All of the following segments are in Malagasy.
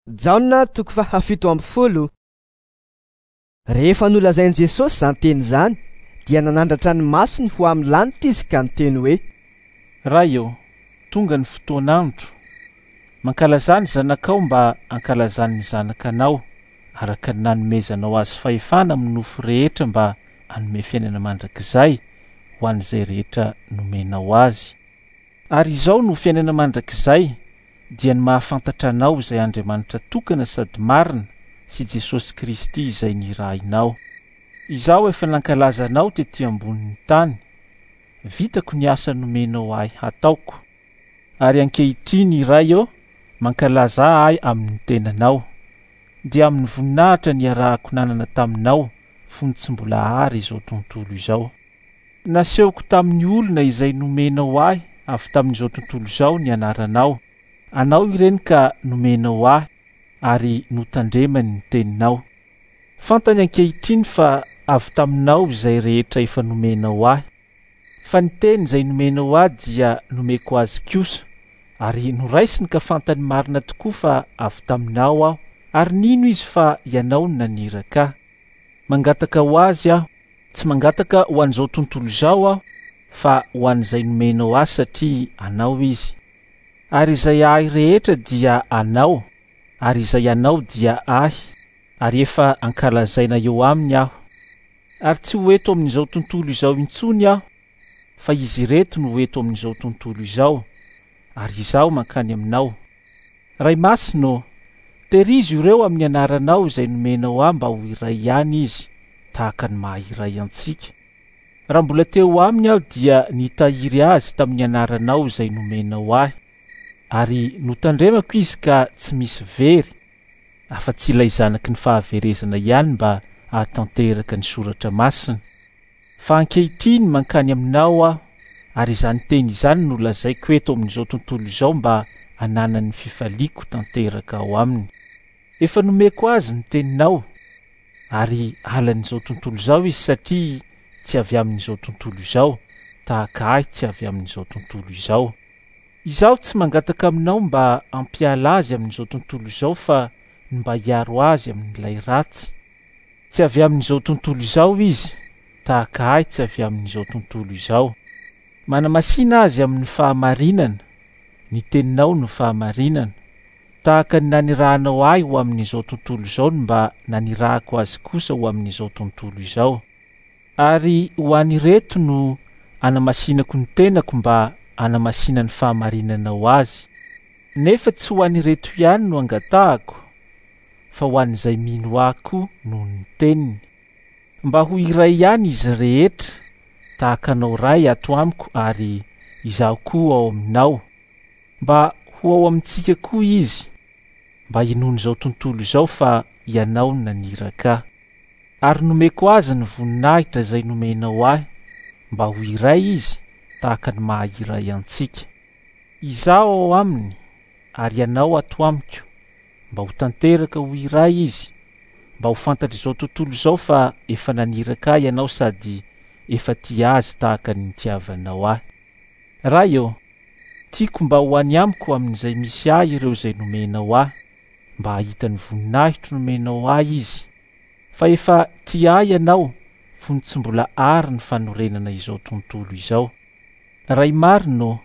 Jaona toko faha-17. Rehefa nolazain'i Jesosy izany teny izany, dia nanandratra ny masony ho amin'ny lanitra izy ka niteny hoe: Ray ô, tonga ny fotoan'andro. Mankalazà ny Zanakao mba hankalazan'ny Zanaka anao, araka ny nanomezanao azy fahefana amin'ny nofo rehetra mba hanome fiainana mandrakizay ho an'izay rehetra nomenao azy. Ary izao no fiainana mandrakizay, dia ny mahafantatra Anao izay Andriamanitra tokana sady marina sy Jesosy Kristy izay nirahinao. Izaho efa nankalaza Anao tety ambonin'ny tany. Vitako ny asa nomenao ahy hataoko. Ary ankehitriny, Ray ô, mankalazà ahy amin'ny tenanao, dia amin'ny voninahitra niarahako nanana taminao fony tsy mbola àry izao tontolo izao. Nasehoko tamin'ny olona izay nomenao ahy avy tamin'izao tontolo izao ny anaranao. Anao ireny ka nomenao ahy ary notandremany ny teninao. Fantany ankehitriny fa avy taminao izay rehetra efa nomenao ahy. Fa ny teny izay nomenao ahy dia nomeko azy kosa, ary noraisiny ka fantany marina tokoa fa avy taminao aho, ary nino izy fa ianao no naniraka ahy. Mangataka ho azy aho. Tsy mangataka ho an'izao tontolo izao aho, fa ho an'izay nomenao ahy satria anao izy. Ary izay ahy rehetra dia anao, ary izay anao dia ahy, ary efa ankalazaina eo aminy aho. Ary tsy ho eto amin'izao tontolo izao intsony aho, fa izy ireto no ho eto amin'izao tontolo izao, ary izaho mankany aminao. Ray Masina ô, tehirizo ireo amin'ny anaranao izay nomenao ahy mba ho iray ihany izy, tahaka ny maha iray antsika. Raha mbola teo aminy aho dia nitahiry azy tamin'ny anaranao izay nomenao ahy, ary notandremako izy ka tsy misy very, afa-tsy ilay zanaky ny fahaverezana ihany mba hahatanteraka ny soratra masina. Fa ankehitriny mankany aminao aho, ary izany teny izany no lazaiko eto amin'izao tontolo izao mba hananany ny fifaliako tanteraka ao aminy. Efa nomeko azy ny teninao, ary halan'izao tontolo izao izy satria tsy avy amin'izao tontolo izao, tahaka ahy tsy avy amin'izao tontolo izao. Izaho tsy mangataka aminao mba hampiala azy amin'izao tontolo izao fa ny mba hiaro azy amin'ilay ratsy. Tsy avy amin'izao tontolo izao izy, tahaka ahy tsy avy amin'izao tontolo izao. Manamasina azy amin'ny fahamarinana, ny teninao no fahamarinana. Tahaka ny nanirahanao ahy ho amin'izao tontolo izao no mba nanirahako azy kosa ho amin'izao tontolo izao. Ary ho an'ireto no anamasinako ny tenako mba hanamasinan'ny fahamarinanao azy. Nefa tsy ho an'ireto ihany no angatahako, fa ho an'izay mino ahy koa noho ny teniny. Mba ho iray ihany izy rehetra, tahaka anao Ray ato amiko ary izaho koa ao aminao. Mba ho ao amintsika koa izy, mba hinoan'izao tontolo izao fa ianao no naniraka ahy. Ary nomeko azy ny voninahitra izay nomenao ahy, mba ho iray izy, tahaka ny maha iray antsika. Izaho ao aminy, ary ianao ato amiko, mba ho tanteraka ho iray izy, mba ho fantatr'izao tontolo izao fa efa naniraka ahy ianao sady efa tia azy tahaka ny nitiavanao ahy. Ray ô, tiako mba ho any amiko amin'izay misy ahy ireo izay nomenao ahy, mba hahita ny voninahitro nomenao ahy izy. Fa efa tia ahy ianao fony tsy mbola àry ny fanorenana izao tontolo izao. Ray marina ô,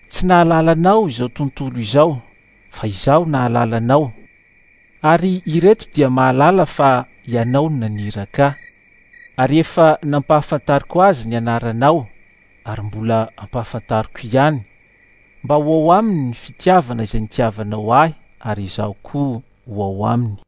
tsy nahalala anao izao tontolo izao, fa izaho nahalala anao, ary ireto dia mahalala fa ianao no naniraka ahy. Ary efa nampahafantariko azy ny anaranao, ary mbola hampahafantariko ihany, mba ho ao aminy ny fitiavana izay nitiavanao ahy ary izaho koa ho ao aminy.